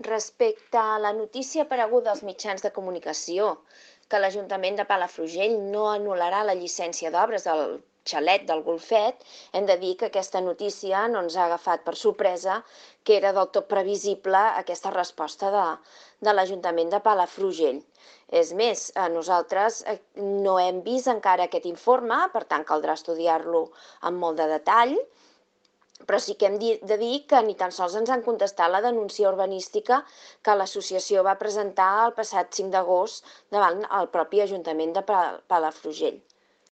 Respecte a la notícia apareguda als mitjans de comunicació que l'Ajuntament de Palafrugell no anul·larà la llicència d'obres del xalet del Golfet, hem de dir que aquesta notícia no ens ha agafat per sorpresa, que era del tot previsible aquesta resposta de l'Ajuntament de Palafrugell. És més, nosaltres no hem vist encara aquest informe, per tant caldrà estudiar-lo amb molt de detall, però sí que hem de dir que ni tan sols ens han contestat la denúncia urbanística que l'associació va presentar el passat 5 d'agost davant el propi Ajuntament de Palafrugell.